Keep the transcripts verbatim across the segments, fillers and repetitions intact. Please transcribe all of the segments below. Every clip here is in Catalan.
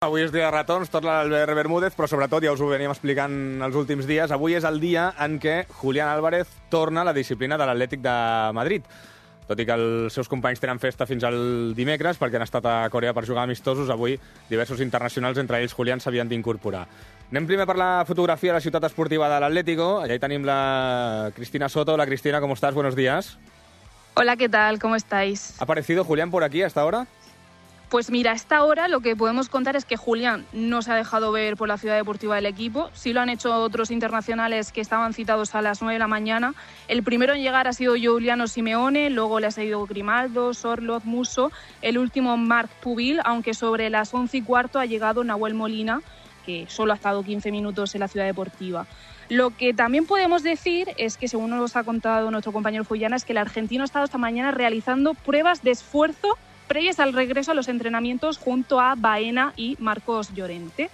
Avui és dia de retorns, tot l'Albert Bermúdez, però sobretot, ja us ho veníem explicant els últims dies, avui és el dia en què Julián Álvarez torna a la disciplina de l'Atlètic de Madrid. Tot i que els seus companys tenen festa fins al dimecres, perquè han estat a Corea per jugar amistosos, avui diversos internacionals, entre ells Julián, s'havien d'incorporar. Anem primer per la fotografia de la ciutat esportiva de l'Atlético. Allà hi tenim la Cristina Soto. Hola, Cristina, ¿cómo estás? Buenos días. Hola, ¿qué tal? ¿Cómo estáis? ¿Ha aparecido Julián por aquí hasta ahora? Pues mira, a esta hora lo que podemos contar es que Julián no se ha dejado ver por la ciudad deportiva del equipo. Sí lo han hecho otros internacionales que estaban citados a las nueve de la mañana. El primero en llegar ha sido Giuliano Simeone, luego le ha seguido Grimaldo, Sorloth, Musso, el último Marc Pubil, aunque sobre las once y cuarto ha llegado Nahuel Molina, que solo ha estado quince minutos en la ciudad deportiva. Lo que también podemos decir es que, según nos ha contado nuestro compañero Fullana, es que el argentino ha estado esta mañana realizando pruebas de esfuerzo previas al regreso a los entrenamientos junto a Baena y Marcos Llorente.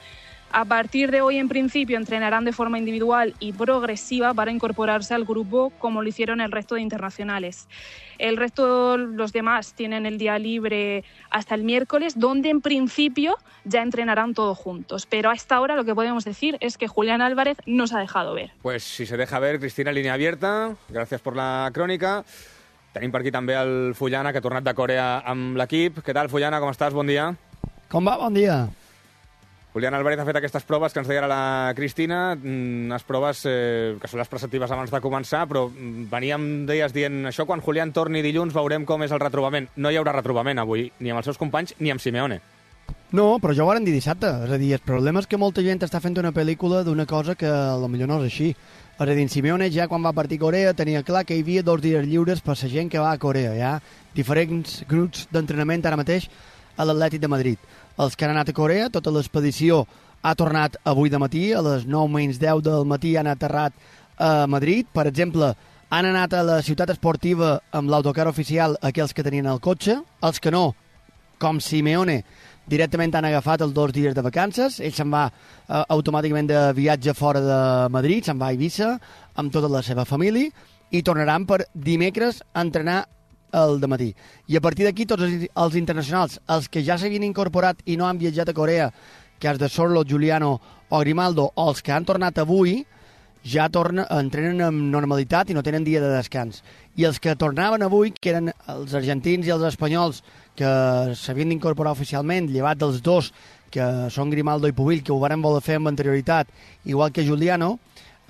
A partir de hoy, en principio, entrenarán de forma individual y progresiva para incorporarse al grupo como lo hicieron el resto de internacionales. El resto, los demás, tienen el día libre hasta el miércoles, donde en principio ya entrenarán todos juntos. Pero a esta hora lo que podemos decir es que Julián Álvarez no se ha dejado ver. Pues si se deja ver, Cristina, línea abierta. Gracias por la crònica. Tenim per aquí també el Fullana, que ha tornat de Corea amb l'equip. Què tal, Fullana, com estàs? Bon dia. Com va? Bon dia. Julián Álvarez ha fet aquestes proves que ens deia ara la Cristina, unes proves eh, que són les preceptives abans de començar, però veníem, deies, dient això, quan Julián torni dilluns veurem com és el retrobament. No hi haurà retrobament avui, ni amb els seus companys, ni amb Simeone. No, però ja ho varen dir dissabte. És a dir, el problema és que molta gent està fent una pel·lícula d'una cosa que potser no és així. És a dir, en Simeone ja quan va partir a Corea tenia clar que hi havia dos dies lliures per la gent que va a Corea. Hi ha diferents grups d'entrenament ara mateix a l'Atlètic de Madrid. Els que han anat a Corea, tota l'expedició ha tornat avui de matí, a les nou menys deu del matí han aterrat a Madrid. Per exemple, han anat a la ciutat esportiva amb l'autocar oficial aquells que tenien el cotxe, els que no, com Simeone, directament han agafat els dos dies de vacances. Ell se'n va eh, automàticament de viatge fora de Madrid, se'n va a Eivissa amb tota la seva família i tornaran per dimecres a entrenar el dematí. I a partir d'aquí tots els, els internacionals, els que ja s'havien incorporat i no han viatjat a Corea, que és de Sorloth, Giuliano o Grimaldo, o els que han tornat avui, ja tornen, entrenen amb normalitat i no tenen dia de descans. I els que tornaven avui, que eren els argentins i els espanyols, que s'havien d'incorporar oficialment, llevat dels dos, que són Grimaldo i Pubil, que ho varen voler fer amb anterioritat, igual que Giuliano,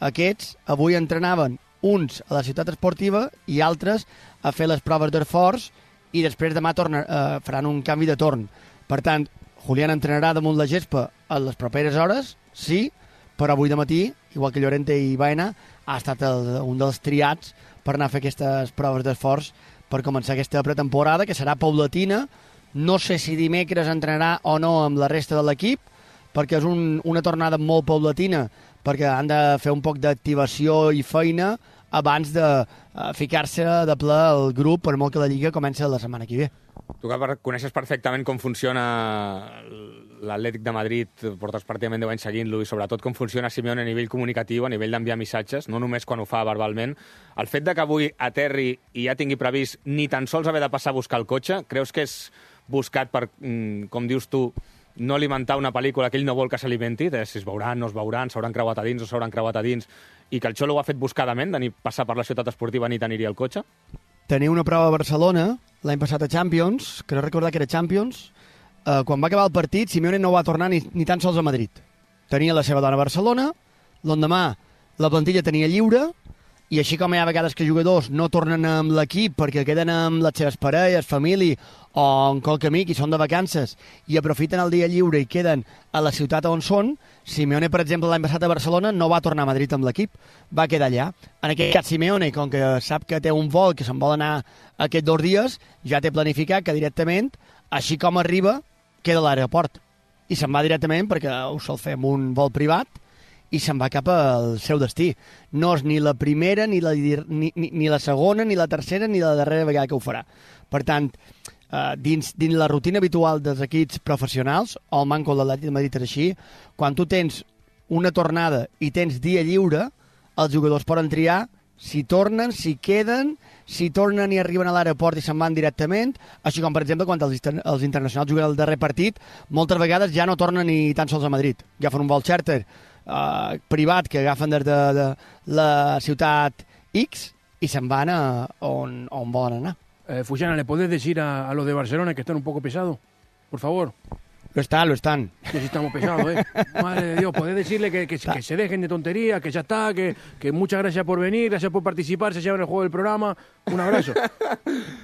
aquests avui entrenaven uns a la ciutat esportiva i altres a fer les proves d'esforç i després demà torna, eh, faran un canvi de torn. Per tant, Julián entrenarà damunt la gespa a les properes hores, sí, però avui de matí, igual que Llorente i Baena, ha estat el, un dels triats per anar a fer aquestes proves d'esforç per començar aquesta pretemporada, que serà paulatina. No sé si dimecres entrenarà o no amb la resta de l'equip, perquè és un, una tornada molt paulatina, perquè han de fer un poc d'activació i feina abans de uh, ficar-se de ple al grup, per molt que la Lliga comença la setmana que ve. Tu que coneixes perfectament com funciona l'Atlètic de Madrid, portes pràcticament deu anys seguint-lo, i sobretot com funciona Simeone a nivell comunicatiu, a nivell d'enviar missatges, no només quan ho fa verbalment. El fet de que avui aterri i ja tingui previst ni tan sols haver de passar a buscar el cotxe, creus que és buscat per, com dius tu, no alimentar una pel·lícula que ell no vol que s'alimenti, de si es veuran, no es veuran, s'hauran creuat a dins o s'hauran creuat a dins, i que el Xolo ho ha fet buscadament, de ni passar per la ciutat esportiva ni tenir-hi el cotxe? Tenia una prova a Barcelona l'any passat a Champions, que no recordar que era Champions. Uh, quan va acabar el partit, Simeone no va tornar ni, ni tan sols a Madrid. Tenia la seva dona a Barcelona, l'endemà la plantilla tenia lliure, i així com hi ha vegades que jugadors no tornen amb l'equip perquè queden amb les seves parelles, família o en qualque amic i són de vacances i aprofiten el dia lliure i queden a la ciutat on són, Simeone, per exemple, l'any passat a Barcelona no va tornar a Madrid amb l'equip, va quedar allà. En aquest cas, Simeone, com que sap que té un vol que se'n vol anar aquests dos dies, ja té planificat que directament, així com arriba, queda a l'aeroport. I se'n va directament, perquè ho sol fer amb un vol privat, i se'n va cap al seu destí. No és ni la primera, ni la, ni, ni, ni la segona, ni la tercera, ni la darrera vegada que ho farà. Per tant, eh, dins, dins la rutina habitual dels equips professionals, o el manco de l'Atlètic de Madrid és així, quan tu tens una tornada i tens dia lliure, els jugadors poden triar si tornen, si queden, si tornen i arriben a l'aeroport i se'n van directament, així com, per exemple, quan els, els internacionals juguen el darrer partit, moltes vegades ja no tornen ni tan sols a Madrid. Agafen un vol charter eh, privat que agafen des de, de la ciutat X i se'n van a on, on volen anar. Eh, Fullana, ¿le podés decir a, a los de Barcelona que están un poco pesados? Por favor. Lo están, lo están. Que sí estamos pesados, ¿eh? Madre de Dios, podés decirle que, que, que se dejen de tonterías, que ya está, que, que muchas gracias por venir, gracias por participar, se llevan el juego del programa. Un abrazo.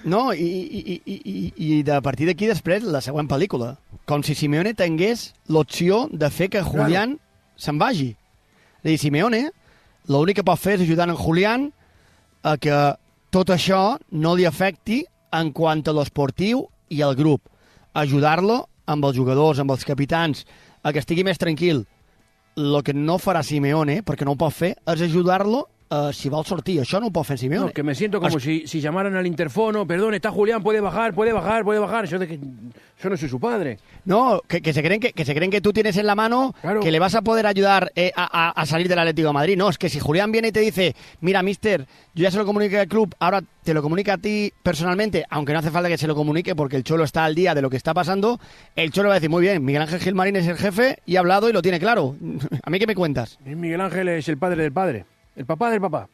No, i, i, i, i, i de partir d'aquí després la següent pel·lícula. Com si Simeone tingués l'opció de fer que Julián claro. se'n vagi. És a dir, Simeone l'únic que pot fer és ajudar en Julián a que tot això no li afecti en quant a l'esportiu i al grup. Ajudar-lo amb els jugadors, amb els capitans, a que estigui més tranquil. El que no farà Simeone, perquè no ho pot fer, és ajudar-lo uh, si vol sortir. Això no ho pot fer Simeone. No, que me siento como es... si, si llamaran al interfono, perdón, está Julián, puede bajar, puede bajar, puede bajar. Yo, de que, yo no soy su padre. No, que, que, se creen que, que se creen que tú tienes en la mano, claro. que le vas a poder ayudar eh, a, a salir del Atlético de Madrid. No, es que si Julián viene y te dice, mira, mister, yo ya se lo comuniqué al club, ahora te lo comunica a ti personalmente, aunque no hace falta que se lo comunique porque el Cholo está al día de lo que está pasando, el Cholo va a decir, muy bien, Miguel Ángel Gilmarín es el jefe y ha hablado y lo tiene claro. ¿A mí qué me cuentas? Miguel Ángel es el padre del padre, el papá del papá.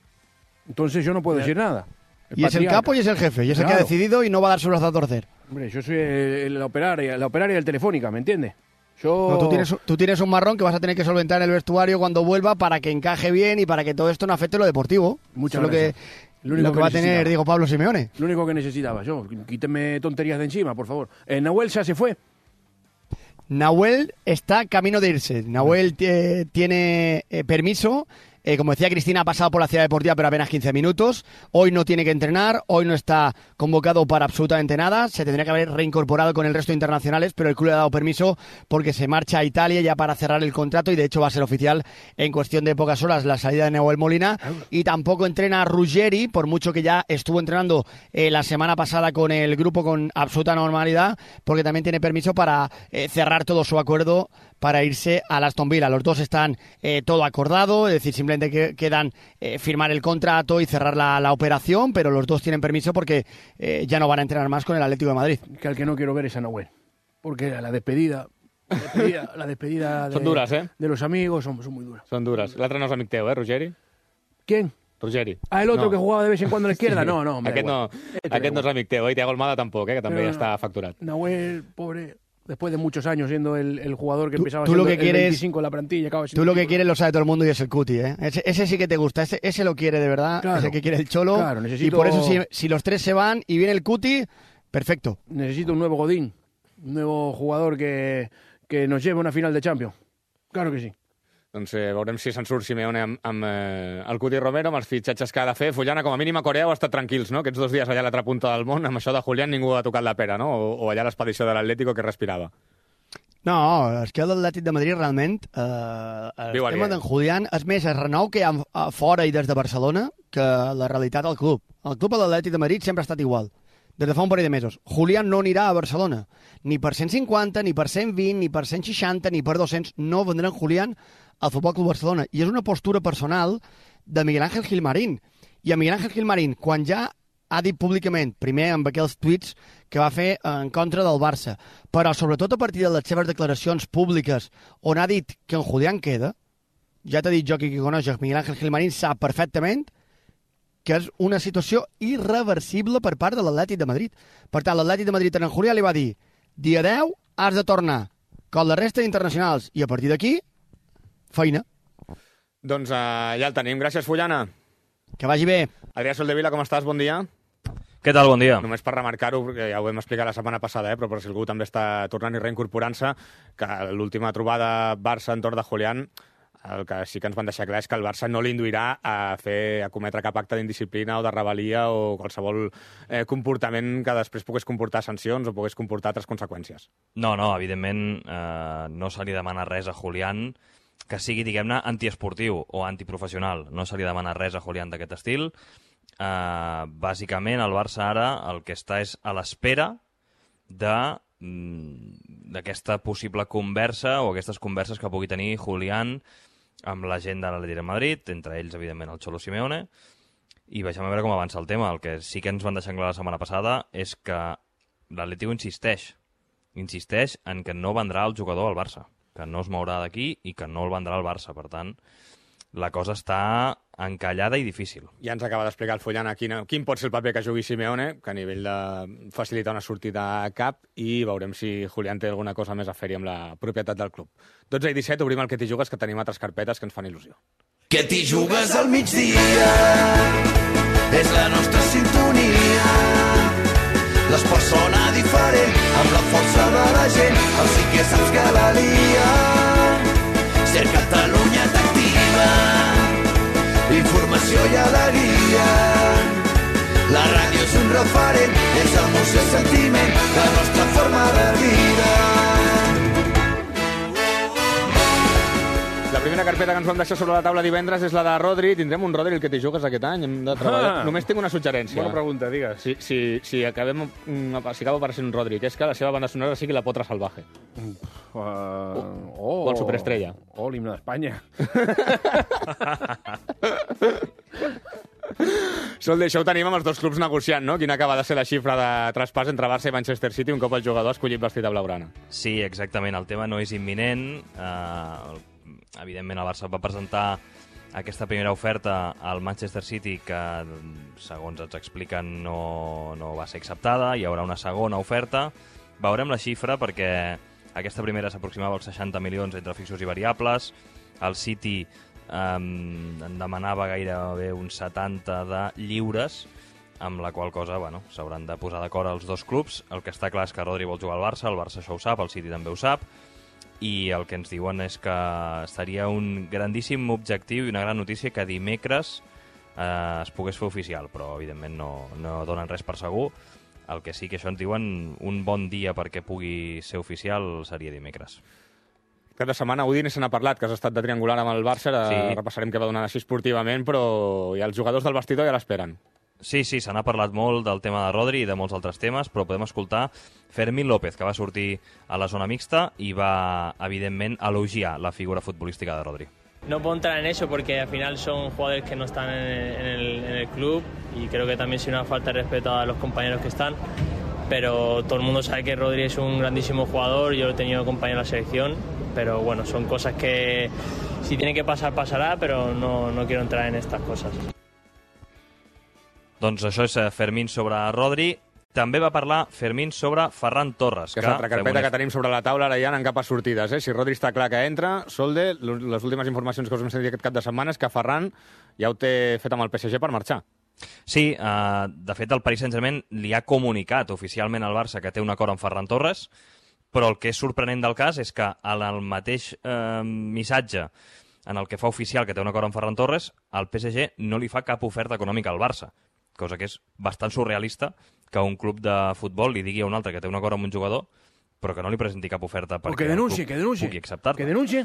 Entonces yo no puedo decir nada. El y es el capo y es el jefe, y es claro. el que ha decidido y no va a dar su brazo a torcer. Hombre, yo soy el, la, operaria, la operaria del Telefónica, ¿me entiendes? Yo... No, tú, tienes, tú tienes un marrón que vas a tener que solventar en el vestuario cuando vuelva para que encaje bien y para que todo esto no afecte lo deportivo. Muchas Eso gracias. Lo que, lo que, que va a tener, digo, Pablo Simeone. Lo único que necesitaba yo. Quíteme tonterías de encima, por favor. Eh, Nahuel ya se fue. Nahuel está camino de irse. Nahuel eh, tiene eh, permiso. Eh, como decía Cristina, ha pasado por la Ciudad Deportiva, pero apenas quince minutos. Hoy no tiene que entrenar, hoy no está convocado para absolutamente nada. Se tendría que haber reincorporado con el resto de internacionales, pero el club le ha dado permiso porque se marcha a Italia ya para cerrar el contrato y de hecho va a ser oficial en cuestión de pocas horas la salida de Nahuel Molina. Y tampoco entrena Ruggeri, por mucho que ya estuvo entrenando eh, la semana pasada con el grupo con absoluta normalidad, porque también tiene permiso para eh, cerrar todo su acuerdo para irse a Aston Villa. Los dos están eh, todo acordado, es decir, simplemente que quedan eh, firmar el contrato y cerrar la, la operación, pero los dos tienen permiso porque eh, ya no van a entrenar más con el Atlético de Madrid. Que al que no quiero ver es a Nahuel, porque la despedida, la despedida, la despedida de, son duras, ¿eh? de los amigos son, son muy duras. Son duras. L'altre no és amic teu, eh, Ruggeri? ¿Quién? Ruggeri. Ah, el otro no. que jugaba de vez en cuando a la izquierda. Sí. No, no, aquest no, aquest no és amic teu, eh? I Thiago Almada tampoc, eh? Que també no, ja està facturat. Nahuel, pobre... Después de muchos años siendo el, el jugador que tú, empezaba tú siendo lo que el quieres, veinticinco en la plantilla. Acaba tú lo que quieres lo sabe todo el mundo y es el Cuti, ¿eh? Ese, ese sí que te gusta, ese, ese lo quiere de verdad, claro, ese que quiere el Cholo. Claro, necesito... Y por eso si, si los tres se van y viene el Cuti, perfecto. Necesito un nuevo Godín, un nuevo jugador que, que nos lleve a una final de Champions. Claro que sí. Doncs eh, veurem si se'n surt Simeone amb, amb eh, el Cuti Romero, amb els fitxatges que ha de fer. Fullana, com a mínim a Corea heu estat tranquils, no? Aquests dos dies allà a l'altra punta del món, amb això de Julián ningú ha tocat la pera, no? O, o allà l'expedició de l'Atlético que respirava. No, és que l'Atlètic de Madrid realment eh, el Viu tema d'en Julián és més el renou que hi ha a fora i des de Barcelona que la realitat al club. El club a l'Atlètic de Madrid sempre ha estat igual, des de fa un parell de mesos. Julián no anirà a Barcelona, ni per cent cinquanta, ni per cent vint, ni per cent seixanta, ni per dos-cents, no vendran Julián al Futbol Club Barcelona. I és una postura personal de Miguel Ángel Gilmarín. I a Miguel Ángel Gilmarín, quan ja ha dit públicament, primer amb aquells tuits que va fer en contra del Barça, però sobretot a partir de les seves declaracions públiques on ha dit que en Julián queda, ja t'ha dit jo que qui coneix Miguel Ángel Gilmarín sap perfectament que és una situació irreversible per part de l'Atlètic de Madrid. Per tant, l'Atlètic de Madrid en Julián li va dir dia deu has de tornar com la resta d'internacionals i a partir d'aquí, feina. Doncs uh, ja el tenim. Gràcies, Fullana. Que vagi bé. Adrià Soldevila, com estàs? Bon dia. Què tal? Bon dia. Només per remarcar-ho, perquè ja ho vam explicar la setmana passada, eh, però per si algú també està tornant i reincorporant-se, que l'última trobada Barça entorn de Julián, el que sí que ens van deixar clar és que el Barça no l'induirà a fer a cometre cap acte d'indisciplina o de rebel·lia o qualsevol eh, comportament que després pogués comportar sancions o pogués comportar altres conseqüències. No, no, evidentment eh, no se li demana res a Julián que sigui, diguem-ne, antiesportiu o antiprofessional. No se li demana res a Julián d'aquest estil. Eh, bàsicament, el Barça ara el que està és a l'espera de d'aquesta possible conversa o aquestes converses que pugui tenir Julián amb la gent de l'Atlético de Madrid, entre ells, evidentment, el Cholo Simeone, i vegem a veure com avança el tema. El que sí que ens van deixar clar la setmana passada és que l'Atlético insisteix, insisteix en que no vendrà el jugador al Barça, que no es mourà d'aquí i que no el vendrà al Barça. Per tant, la cosa està encallada i difícil. Ja ens acaba d'explicar el Fullana quin, quin pot ser el paper que jugui Simeone, que a nivell de facilitar una sortida a cap, i veurem si Julián té alguna cosa més a fer-hi amb la propietat del club. dotze i disset, obrim el Que t'hi jugues, que tenim altres carpetes que ens fan il·lusió. Que t'hi jugues al migdia, és la nostra sintonia. L'esport sona diferent, amb la força de la gent, el sí que saps que la lia. Ser Catalunya t'activa, informació i alegria. La ràdio és un referent, és emoció i sentiment, la nostra forma de vida. La primera carpeta que ens vam deixar sobre la taula divendres és la de Rodri. Tindrem un Rodri el Que t'hi jugues aquest any? Hem de treballar. Ah, només tinc una suggerència. Bona pregunta, digues. Si, si, si, acabem, si acaba apareixent un Rodri, que és que la seva banda sonora sigui La Potra Salvaje. Uh, o, oh, o el Superestrella. O oh, l'himne d'Espanya. Sol d'això ho tenim amb els dos clubs negociant, no? Quina acaba de ser la xifra de traspàs entre Barça i Manchester City un cop el jugador ha escollit vestit de blaugrana. Sí, exactament. El tema no és imminent. Uh, evidentment, el Barça va presentar aquesta primera oferta al Manchester City que, segons ens expliquen, no, no va ser acceptada. Hi haurà una segona oferta. Veurem la xifra perquè aquesta primera s'aproximava als seixanta milions entre fixos i variables. El City um, en demanava gairebé uns setanta de lliures, amb la qual cosa bueno, s'hauran de posar d'acord els dos clubs. El que està clar és que Rodri vol jugar al Barça, el Barça això ho sap, el City també ho sap, i el que ens diuen és que seria un grandíssim objectiu i una gran notícia que dimecres eh, es pogués fer oficial, però evidentment no, no donen res per segur. El que sí que això ens diuen, un bon dia perquè pugui ser oficial seria dimecres. Cada setmana Udine se n'ha parlat, que has estat de triangular amb el Barça, sí. Repassarem què va donar així esportivament, però ja els jugadors del vestidor ja l'esperen. Sí, sí, se n'ha parlat molt del tema de Rodri i de molts altres temes, però podem escoltar Fermín López, que va sortir a la zona mixta i va, evidentment, elogiar la figura futbolística de Rodri. No puedo entrar en eso porque al final son jugadores que no están en el, en el, en el club y creo que también es una falta de respeto a los compañeros que están, pero todo el mundo sabe que Rodri es un grandísimo jugador, yo lo he tenido compañero en la selección, pero bueno, son cosas que si tiene que pasar, pasará, pero no, no quiero entrar en estas cosas. Doncs això és Fermín sobre Rodri. També va parlar Fermín sobre Ferran Torres. Que és l'altra carpeta que tenim sobre la taula, ara ja anant cap a sortides. Eh? Si Rodri està clar que entra, Solde, les últimes informacions que us hem sentit aquest cap de setmana és que Ferran ja ho té fet amb el P S G per marxar. Sí, eh, de fet el Paris Saint-Germain li ha comunicat oficialment al Barça que té un acord amb Ferran Torres, però el que és sorprenent del cas és que en el mateix eh, missatge en el que fa oficial que té un acord amb Ferran Torres, el P S G no li fa cap oferta econòmica al Barça, cosa que és bastant surrealista que un club de futbol li digui a un altre que té un acord amb un jugador, però que no li presenti cap oferta perquè que denuncie, el club que denuncie, pugui acceptar-la. Que denuncie.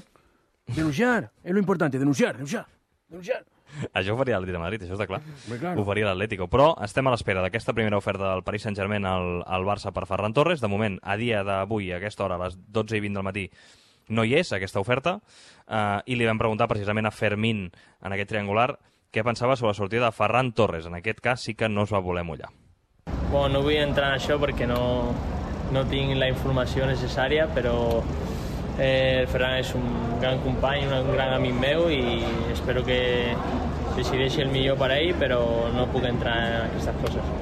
Denunciar, és lo importante, denunciar, denunciar, denunciar. Això ho faria l'Atlètic de Madrid, això està clar. Bé, claro. Ho faria l'Atlético. Però estem a l'espera d'aquesta primera oferta del Paris Saint-Germain al, al Barça per Ferran Torres. De moment, a dia d'avui, a aquesta hora, a les dotze i vint del matí, no hi és aquesta oferta. Uh, I li vam preguntar precisament a Fermín, en aquest triangular, què pensava sobre la sortida de Ferran Torres. En aquest cas sí que no es va voler mullar. Bueno, no vull entrar en això perquè no, no tinc la informació necessària, però eh, el Ferran és un gran company, un gran amic meu i espero que decideixi el millor per a ell, però no puc entrar en aquestes coses.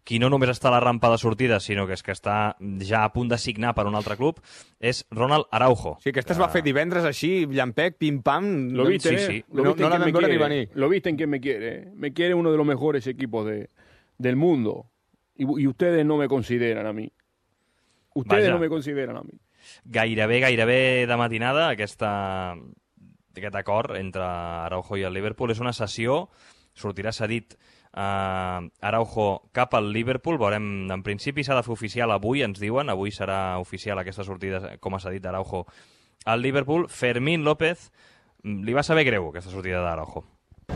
Qui no només està a la rampa de sortida, sinó que és que està ja a punt de signar per un altre club, és Ronald Araujo. Sí, que este es va fer divendres així, llampec, pim-pam... Lo viste, sí, sí. ¿eh? Lo no, viste no la en vam veure ni venir. Lo viste en quien me quiere. Me quiere uno de los mejores equipos de, del mundo. Y, y ustedes no me consideran a mí. Ustedes Vaja. no me consideran a mí. Gairebé, gairebé de matinada, aquesta, aquest acord entre Araujo i el Liverpool és una cessió, sortirà cedit uh, Araujo cap al Liverpool, veurem, en principi s'ha de fer oficial avui, ens diuen, avui serà oficial aquesta sortida com a cedit d'Araujo al Liverpool. Fermín López, li va saber greu aquesta sortida d'Araujo.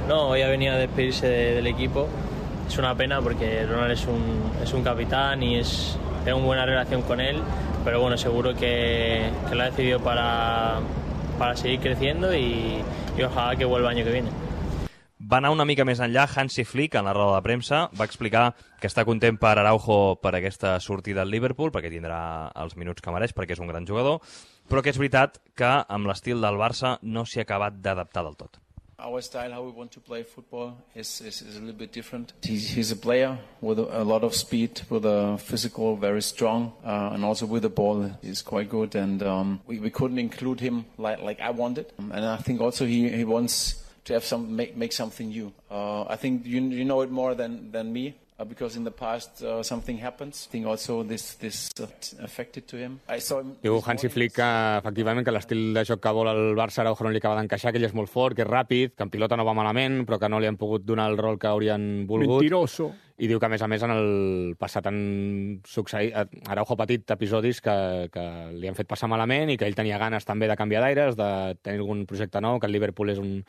No, hoy ha venido a despedirse de, del equipo. Es una pena porque Ronald es un, es un capitán y es, tengo una buena relación con él, pero bueno, seguro que, que lo ha decidido para, para seguir creciendo y, y ojalá que vuelva el año que viene. va anar una mica més enllà. Hansi Flick, en la roda de premsa, va explicar que està content per Araujo per aquesta sortida al Liverpool, perquè tindrà els minuts que mereix, perquè és un gran jugador, però que és veritat que amb l'estil del Barça no s'hi ha acabat d'adaptar del tot. Our style, how we want to play football, is, is, is a little bit different. He's, he's a player with a, a lot of speed, with a physical, very strong, uh, and also with the ball, he's quite good. And um, we, we couldn't include him like, like I wanted. And I think also he, he wants to have some make, make something new. Uh, I think you, you know it more than, than me. Uh, because in the past uh, something happens. I think also this, this uh, affected to him. I saw him Diu Hansi Flick que, efectivament, que l'estil de joc que vol el Barça Araujo no li acaba d'encaixar, que ell és molt fort, que és ràpid, que en pilota no va malament, però que no li han pogut donar el rol que haurien volgut. Mentiroso. I diu que, a més a més, en el passat han succeït... Araujo ha patit episodis que, que li han fet passar malament i que ell tenia ganes també de canviar d'aires, de tenir algun projecte nou, que el Liverpool és un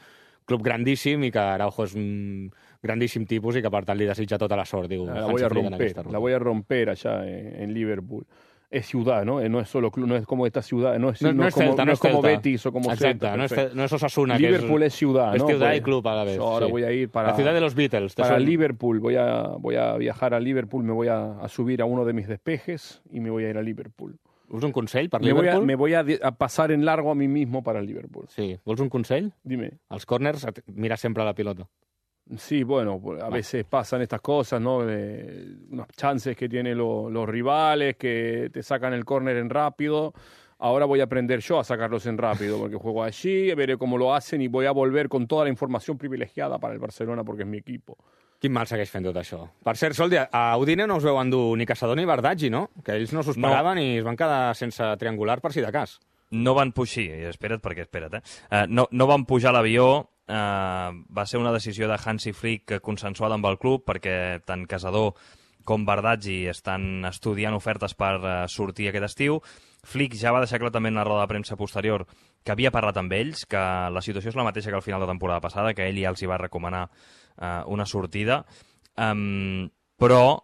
club grandíssim i que Araujo és un grandíssim tipus i que, per tant, li desitja tota la sort, diu. La voy a romper, la voy a romper allá en, en Liverpool. Es ciudad, ¿no? No es solo club, no es como esta ciudad, no es, no, no no es como, Celta, no es como Celta. Betis o como Exacte, Celta. no es, no es Osasuna. Liverpool que es, es ciudad, es ¿no? Es ciudad pues, y club a la vez. Ahora sí. voy a ir para... La ciudad de los Beatles. Para son... Liverpool, voy a, voy a viajar a Liverpool, me voy a, a subir a uno de mis despejes y me voy a ir a Liverpool. Vols un consell per me Liverpool? Voy a, me voy a, a pasar en largo a mí mismo para el Liverpool. Sí. Vols un consell? Dime. Els corners, mira sempre la pilota. Sí, bueno, a veces pasan estas cosas, ¿no? De unas chances que tienen lo, los rivales, que te sacan el córner en rápido. Ahora voy a aprender yo a sacarlos en rápido, porque juego allí, veré cómo lo hacen y voy a volver con toda la información privilegiada para el Barcelona, porque es mi equipo. Quin mal segueix fent tot això. Per cert, Soldi, a Udine no us veu endur ni Caçador ni Bardaggi, no? Que ells no s'ho esperaven no. I es van quedar sense triangular per si de cas. No van pujar, espera't perquè espera't, eh? Uh, no, no van pujar a l'avió, uh, va ser una decisió de Hansi Flick consensuada amb el club, perquè tant Caçador com Bardaggi estan estudiant ofertes per uh, sortir aquest estiu. Flick ja va deixar clar també en la roda de premsa posterior que havia parlat amb ells, que la situació és la mateixa que al final de temporada passada, que ell ja els hi va recomanar uh, una sortida, um, però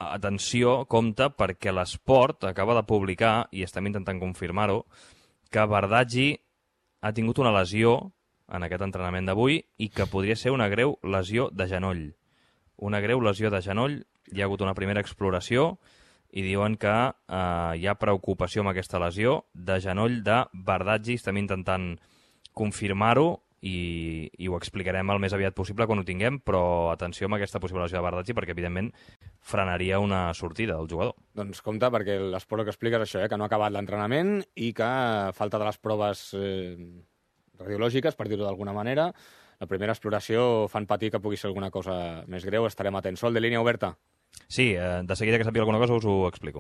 atenció, compte, perquè l'Esport acaba de publicar, i estem intentant confirmar-ho, que Bardaggi ha tingut una lesió en aquest entrenament d'avui i que podria ser una greu lesió de genoll. Una greu lesió de genoll, hi ha hagut una primera exploració i diuen que eh, hi ha preocupació amb aquesta lesió de genoll de Bardaggi. Estem intentant confirmar-ho i, i ho explicarem el més aviat possible quan ho tinguem, però atenció amb aquesta possible lesió de Bardaggi perquè, evidentment, frenaria una sortida del jugador. Doncs compte, perquè l'esport que expliques això, eh, que no ha acabat l'entrenament i que falta de les proves eh, radiològiques, per dir-ho d'alguna manera. La primera exploració fan patir que pugui ser alguna cosa més greu. Estarem atents. Sol, de línia oberta. Sí, eh, de seguida que sàpiga alguna cosa us ho explico.